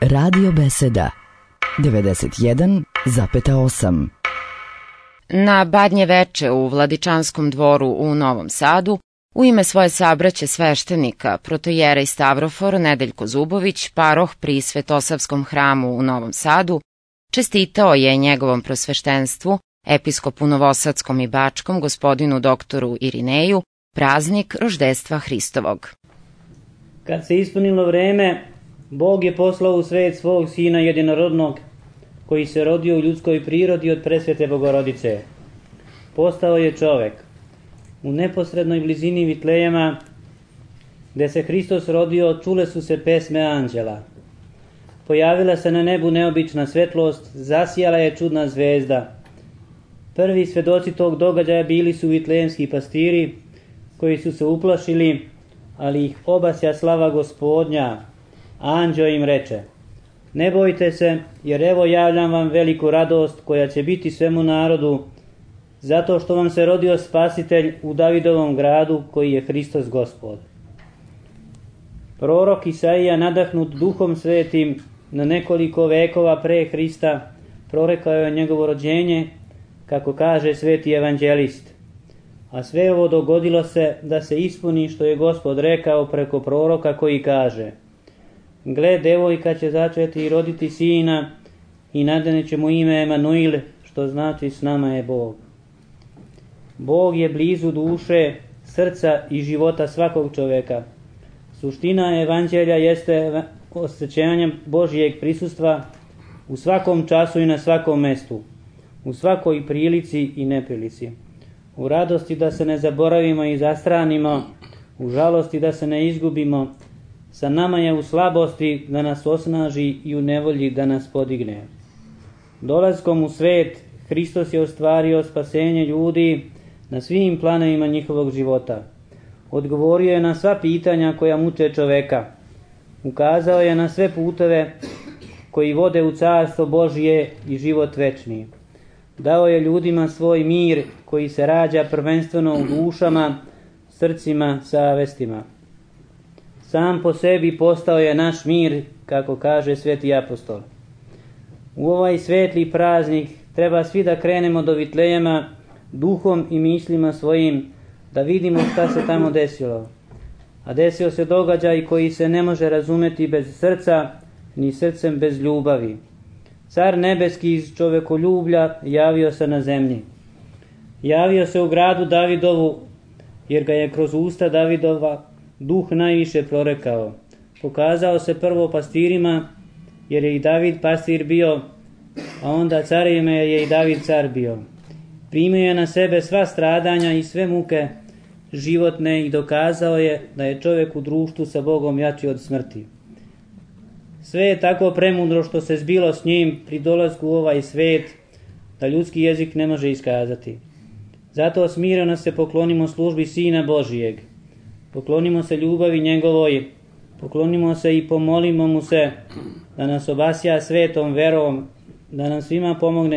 Radio Beseda 91,8. Na Badnje veče u Vladičanskom dvoru u Novom Sadu u ime svoje sabraće sveštenika, protojerej Stavrofor Nedeljko Zubović, paroh pri Svetosavskom hramu u Novom Sadu, čestitao je njegovom prosveštenstvu, episkopu Novosadskom i Bačkom, gospodinu doktoru Irineju, praznik roždestva Hristovog. Kad se ispunilo vreme, Bog je poslao u svet svog Sina jedinorodnog, koji se rodio u ljudskoj prirodi od presvete Bogorodice. Postao je čovek. U neposrednoj blizini Vitlejema, gde se Hristos rodio, čule su se pesme anđela. Pojavila se na nebu neobična svetlost, zasijala je čudna zvezda. Prvi svedoci tog događaja bili su vitlejemski pastiri, koji su se uplašili, ali ih obasja slava Gospodnja. Anđeo im reče: ne bojte se, jer evo javljam vam veliku radost koja će biti svemu narodu, zato što vam se rodio Spasitelj u Davidovom gradu, koji je Hristos Gospod. Prorok Isaija, nadahnut Duhom Svetim, na nekoliko vekova pre Hrista, prorekao je njegovo rođenje, kako kaže sveti evanđelist. A sve ovo dogodilo se da se ispuni što je Gospod rekao preko proroka, koji kaže: gle, devojka će začeti i roditi sina i nadaneće mu ime Emanuil, što znači s nama je Bog. Bog je blizu duše, srca i života svakog čoveka. Suština evanđelja jeste osjećanje Božijeg prisustva u svakom času i na svakom mestu, u svakoj prilici i neprilici. U radosti da se ne zaboravimo i zastranimo, u žalosti da se ne izgubimo. Sa nama je u slabosti da nas osnaži i u nevolji da nas podigne. Dolaskom u svet, Hristos je ostvario spasenje ljudi na svim planovima njihovog života. Odgovorio je na sva pitanja koja muče čoveka. Ukazao je na sve puteve koji vode u carstvo Božije i život večni. Dao je ljudima svoj mir koji se rađa prvenstveno u dušama, srcima, savestima. Sam po sebi postao je naš mir, kako kaže sveti apostol. U ovaj svetli praznik treba svi da krenemo do Vitlejema duhom i mislima svojim, da vidimo šta se tamo desilo. A desio se događaj koji se ne može razumeti bez srca, ni srcem bez ljubavi. Car nebeski iz čovekoljublja javio se na zemlji. Javio se u gradu Davidovu, jer ga je kroz usta Davidova Duh najviše prorekao. Pokazao se prvo pastirima, jer je i David pastir bio, a onda carima je i David car bio. Primio je na sebe sva stradanja i sve muke životne i dokazao je da je čovjek u društvu sa Bogom jači od smrti. Sve je tako premudro što se zbilo s njim pri dolasku u ovaj svet, da ljudski jezik ne može iskazati. Zato smireno se poklonimo službi Sina Božijeg. Poklonimo se ljubavi njegovoj, poklonimo se i pomolimo mu se da nas obasja svetom verom, da nam svima pomogne